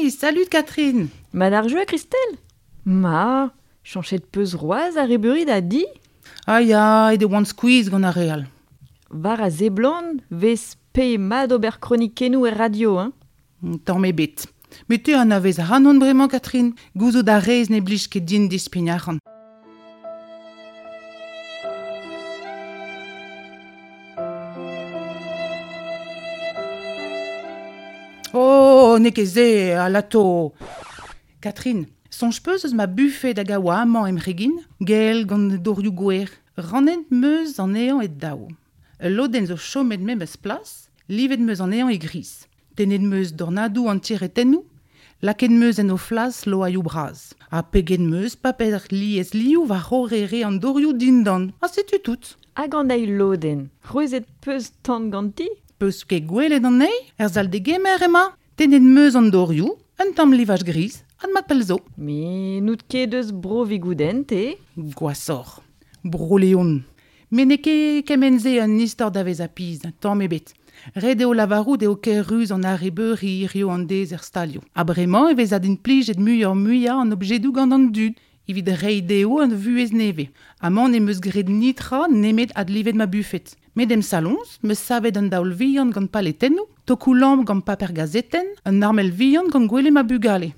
Hey, salut Catherine. Mat ar jeu, Christelle Ma, chanchet peus roaz ar rebeuri da di? Ah ya, e de oan squeeze gant ar real. War a zeblant, vez pe mat ober kronikennoù er radio, hein? Tamm ebet. Met te anavez ac'hanon bremañ, Catherine. Gouzout a rez ne blij ket din dispign arc'hant. Oh, n'eo ket se, alato. Catherine, soñj 'peus eus ma bufed hag a oa amañ em c'hegin, gell gant dorioù gwer. Rannet 'm eus anezhañ e daou. Ul lodenn zo chomet memes plas, livet 'm eus anezhañ e gris. Tennet 'm eus dornadoù an tiretennoù, lakaet 'm eus en o flas loaioù bras. Ha peget 'm eus paper liesliv war c'horre re an dorioù dindan. Ha setu tout. Hag an eil lodenn, c'hwezhet 'peus tan ganti? Peus ket gwelet anezhi? Er sal-degemer emañ. Tennet 'm eus an dorioù, un tamm livaj gris, ha mat pell zo. Met n'out ket eus Bro-Vigoudenn, te? Gwashoc'h. Bro-Leon. Met n'eo ket kement-se un istor da vezañ pizh, tamm ebet. Ret eo lavarout eo ker-ruz an arrebeuri hiziv an deiz er stalioù. Ha bremañ e vez adimplijet muioc'h-muiañ an objedoù gant an dud evit reiñ dezho ur vuhez nevez. Amañ n'em eus graet netra nemet adlivet ma bufed. Met em saloñs 'm eus savet un daol vihan gant paletennoù, tokoù-lamp gant paper gazetenn, un armel vihan gant gwele ma bugale.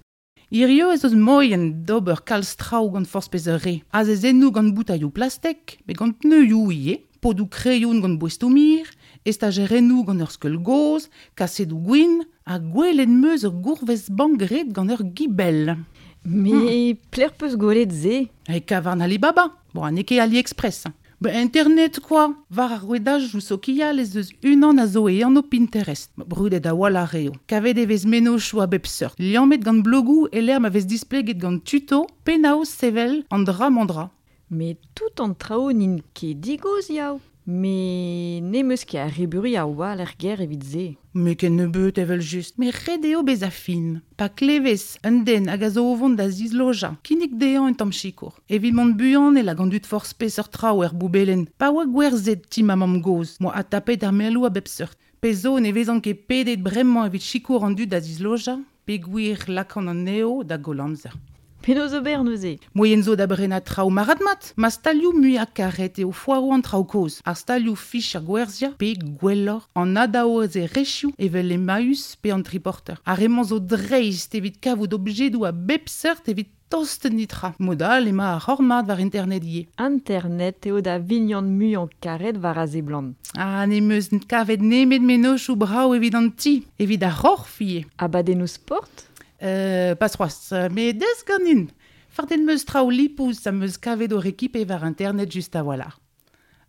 Hiziv ez eus moaien d'ober kalz traoù gant forzh peseurt re. Azezennoù gant boutailhoù plastek, met gant pneuioù ivez, podoù kreion gant boestoù-mir, estajerennoù gant ur skeul gozh, kasedoù gwin, ha gwelet 'm eus ur gourvez-bank graet gant ur gibell. Met pelec'h 'peus gwelet se? E kavarn Alibaba. Bon, ha n'eo ket AliExpress. Ba internet kwa! War ar rouedajoù sokial ez eus unan a zo e anv Pinterest. Brudet a-walc'h eo. Kavet e vez mennozhioù a bep seurt, liammet gant blogoù e-lec'h ma vez displeget gant tuto penaos sevel an dra-mañ-dra. Met tout an traoù n'int ket digozh yaou. Met n'em eus ket arrebeuri a-walc'h er gêr evit se. Met kennebeut evel-just. Met ret eo bezañ fin. Pa klevez un den hag a zo o vont da zislojañ, kinnig dezhañ un tamm sikour. Evit mont buan e lak an dud forzh peseurt traoù er boubelenn. Pa oa gwerzhet ti ma mamm-gozh, 'moa adtapet ar melloù a bep seurt. Pezh zo ne vezan ket pedet bremañ evit sikour an dud da zislojañ, peogwir 'lakaan anezho da goll amzer. Penaos ober neuze? Moaien zo da brenañ traoù marc'had-mat. Ma stalioù muiañ-karet eo foaroù an traoù kozh, ar stalioù fichañ gwerzhiañ pe, gwelloc'h, an adaozerezhioù evel Emmaüs pe an Triporter. Ar re-mañ zo dreist evit kavout objedoù a bep seurt evit tost netra. Mod all emañ ar c'horn-mat war internet ivez. Internet eo da vignon muiañ-karet war a seblant. Ha n'em eus kavet nemet mennozhioù brav evit an ti, evit ar c'horf ivez. Abadennoù sport? Pas c'hoazh, met deus ganin. Fardet 'm eus traoù lipous am eus kavet o rekipe war internet just a-walc'h.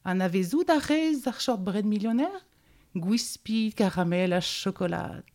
Anavezout a rez ar shortbread millionaire? Gwispi, karamel ha chokolad.